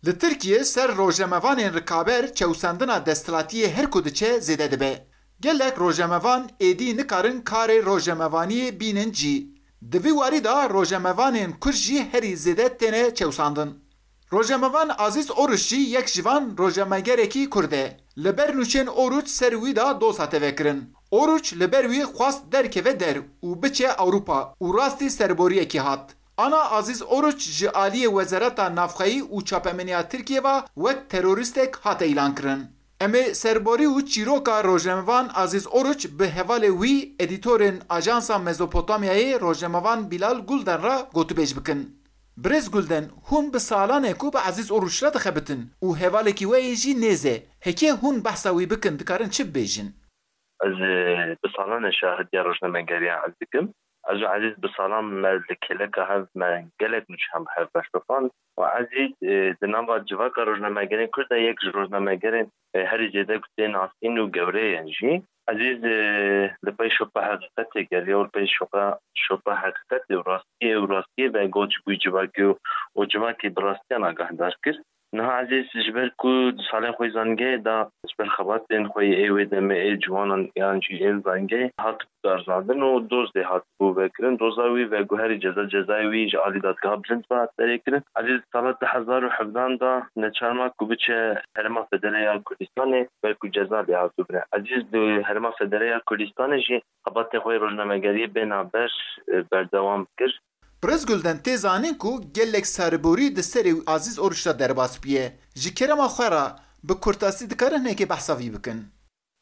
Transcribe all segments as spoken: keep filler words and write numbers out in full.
Li Tirkiyê ser rojnamevanên rikaber çewsandina desthilatiyê her ku diçe zêde dibe. Gelek rojnamevan êdî nikarin karê rojnamevaniyê bînin cî. Di vî warî de rojnamevanên Kurd jî herî zêde têne çewsandin. Rojnamevan Azîz Oruç jî yek ji van rojnamegerekî Kurd e. Li ber nûçên Oruç ser wî de doz hate vekirin. Oruç li ber wî xwest derkeve der û biçe Ewropa û rastî serboriyekî hat. Ana Azîz Oruç ji aliyê Wezareta Navxweyî û Çapemeniya Tirkiyê ve wek terorîstek hate îlankirin. Em ê serborî û çîroka rojnamevan Azîz Oruç bi hevalê wî, edîtorên Ajansa Mezopotamyayê rojnamevan Bilal Gulden re gotûbêj bikin. Birêz Gulden, hûn bi salan e ku bi Azîz Oruç re dixebitin û hevalekî we yê jî nêz e. Heke hûn behsa wî bikin, dikarin çi bibêjin? Ez, e, bi salan e şahidiya rojnamegeriya ez dikim. Ez û Ezîz bi salan me li kêleka hev me gelek nûçe hem bi hev berşopand. Û Ezîz, e, di nava civaka rojnamegerên Kurd de yek ji rojnamegerên, e, herî zêde ku tê nasîn û gewre ye jî. Ezîz, e, li pey şopa heqîqetê geriya û li pey şopa, şopa heqîqetê û rastiyê û rastiyê ve got ji bo civakê û, û civakê bi rastiyan agahdar kir. Niha Ezîz ji ber ku di salên xwe yê zanîngehê de ji ber xebatên xwe yê ê wê demê ê ciwanan yan jî ên zanîngehê hat darzandin û dozdê hatibû vekirin. Doza wî veguherî ceza, cezayê wî ji alî dadgeha bilind ve derêkirin. Ezîz sala du hezar û hevdan de neçar ma ku biçe Herêma Federe ya Kurdistanê ber ku ceza lê hatibû bire. Ezîz di Herêma Federe ya Kurdistanê jî xebatê xwe yê rojnamegeriyê bê navber, e, berdewam kir. Birêz Gulden, tê zanîn ku gelek serborî di serê Azîz Oruç de derbas bûye. Ji kerema xwe re bi kurtasî dikarin hinekê behsa vî bikin?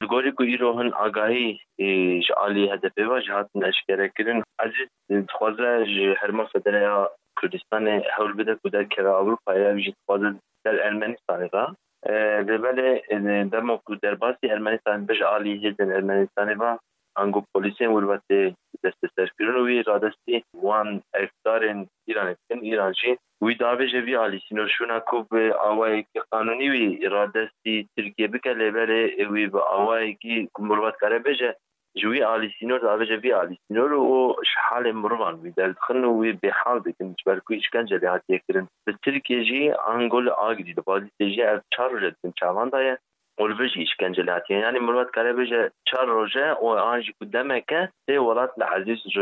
Li gorî ku îro hin agahî, e, ji alî H D P ve jî hatin eşkerekirin, Ezîz, e, dixwaze ji Herêma Federe ya Kurdistanê hewl bide ku derkeve Ewropayê, ev jî dixwaze ser Ermenistanê ve. E, lê belê, e, dema ku derbasî Ermenistanê dibe ji alî hêzên Ermenistanê ve, ango polîsên wir ve tê desteserkirin û wî radestî wan erkdarên Îranê dikin. Îran jî wî diavêje vî alî sînor şûna ku bi awayekî qanûnî wî radestî Tirkiyê bike, lê belê wî bi awayekî ku mirov dikare bêje ji wî alî sînor diavêje vî alî sînor û ji halê mirovan wî derdixin û wî bêhal dikin, ji ber ku îşkence lê hatiye kirin. Li Tirkiyê jî ango li Agirî, li Bazîdê jî ev çar roj e di bin çavan de ye. Û li vir jî îşkence lê hatiye. Yanî mirov dikare bêje çar roj e û an jî ku demek e sê welat li Ezîz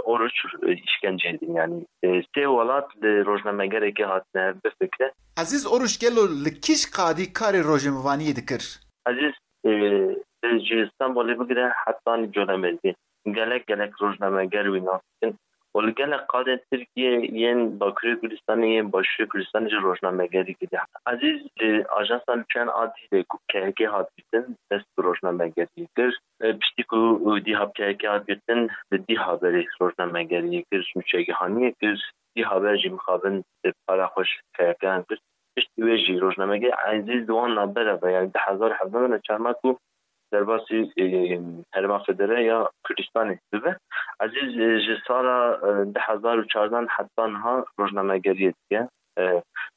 Oruç îşkence didin. Yanî, e, sê welat li rojnamegerekê hatine hev bifikre. Ezîz Oruç gelo li kîj qadî karê rojnamevaniyê dikir? Ezîz, e, ji Stenbolê bigire hetanî Colemêrgê gelek gelek rojnameger wî nas dikin. Û li gelek qadên Tirkiyê yên Bakurê Kurdistanê, yên Başûrê Kurdistanê jî rojnamegerî kiriye. Ezîz li Ajansa Nûçeyan a Dîhlê ku K H K hat girtin, dest bi rojnamegeriyê kir. E, piştî ku dîha bi K H K hat girtin, li Dîhaberê rojnamegeriyê kir, nûçegihaniyê kir. Dîhaber jî mixabin para xwe ji K H K an kir. Piştî wê jî rojnamegerî Ezîz di wan navbera ve, yanî du hezar û hevdeh de neçar ma ku derbasî, e, Herêma Federe ya Kurdistanê bibe. Ezîz, e, ji sala, e, du hezar û çardeh heta niha rojnamegeriyê dike. E,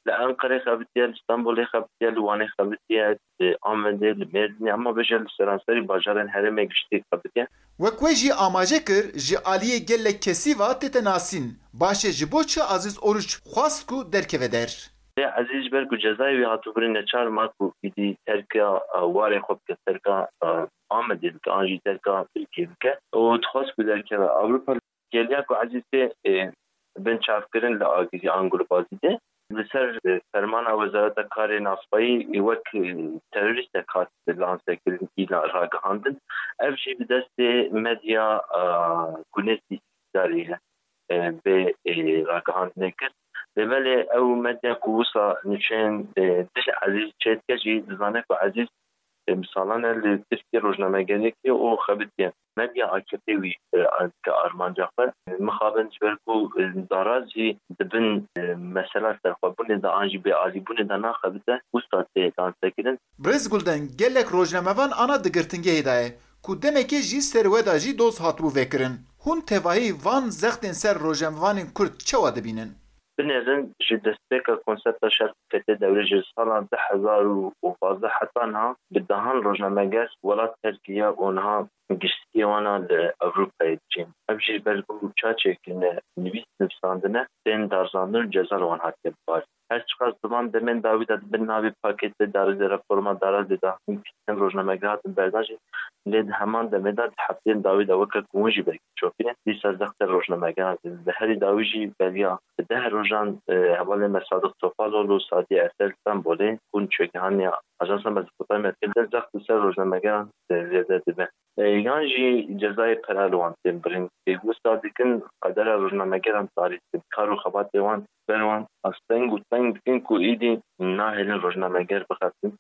li Enqerê xebitiye, li Stenbolê xebitiye, li Wanê xebitiye, li Amedê, li Mêrdînê, hema bêje li seranserî bajarên herêmê giştî xebitiye. Wek we jî amaje kir, ji aliyê gelek kesî ve tête nasîn. Baş e, ji bo çi Aziz Oruç xwest ku derkeve der? Lê Ezîz ji ber ku cezayê wî hatibû birîn, neçar ma ku îdî terka, e, warê xwe bike, terka, e, Amedê bike, an jî terka Tirkiyê bike û dixwest ku derkeve Ewropa. Geliya ku Ezîz tê, e, bin çavkirin li Agirî ango li Bazîdê, li ser, e, fermana Wezareta Karê Navxweyî, e, wek, e, terorîstek hat lansekirin, îla ragihandin. Ev jî bi destê medya, e, gunê sî-, îdarê ye, e, bê, e, ragihandinê kir. Lê belê ew medya ku wisa nûçeyên, e, dij Ezîz çêdike jî dizane ku Ezîz, e, bi salan e li Tirkiyê rojnamegeriyekê û xebitiye. Medya A K P wî, e, dike armanca xwe. Mixabin ji ber ku, e, daraz jî di bin, e, mesela serxwebûnê de an jî bêalîbûnê de naxebite, wisa tê lansekirin. Birêz Gulden, gelek rojnamevan ana di girtingehê de ye. Ku demekê jî ser we de jî doz hatibû vekirin. Hûn tevahî van zextên ser rojnamevanên Kurd çawa dibînin? Binêrin, ji destpêka konsepta şer Fetê Dewrê ji sala du hezar û pazdeh heta niha bi dehan rojnameger welat terk kiriye û niha giştiyê wan a li Ewropayê diçin. Ev jî ber ku çaçê kirine, nivîs nivîsandine, tên darzandin û ceza li wan hatiye bibarin. Her çiqas di van demên dawî de di bin navê pakêtê darizê reforma darazê de hin rojnameger hatin berdan jî, lê di heman demê de di hefteyên dawî de weke ku hûn jî belkî çopî ne, dîsa zextê rojnamegeran tê. Di herî dawî jî beriya deh rojan, e, hevalên me Sadiq Topaloglu û Sadiye Ersel Stenbolê, ku çêgihaniya Ajansa Mezopotamya Tirk de zext li ser rojnamegeran, e, zêde dibe. E, yan jî cezayê pere li wan tên birin. Pêwisa dikin qedera rojnamegeran tarî dikin. Kar û xebatê wan ber wan asteng û teng dikin ku êdî nahêlin rojnameger bixebin.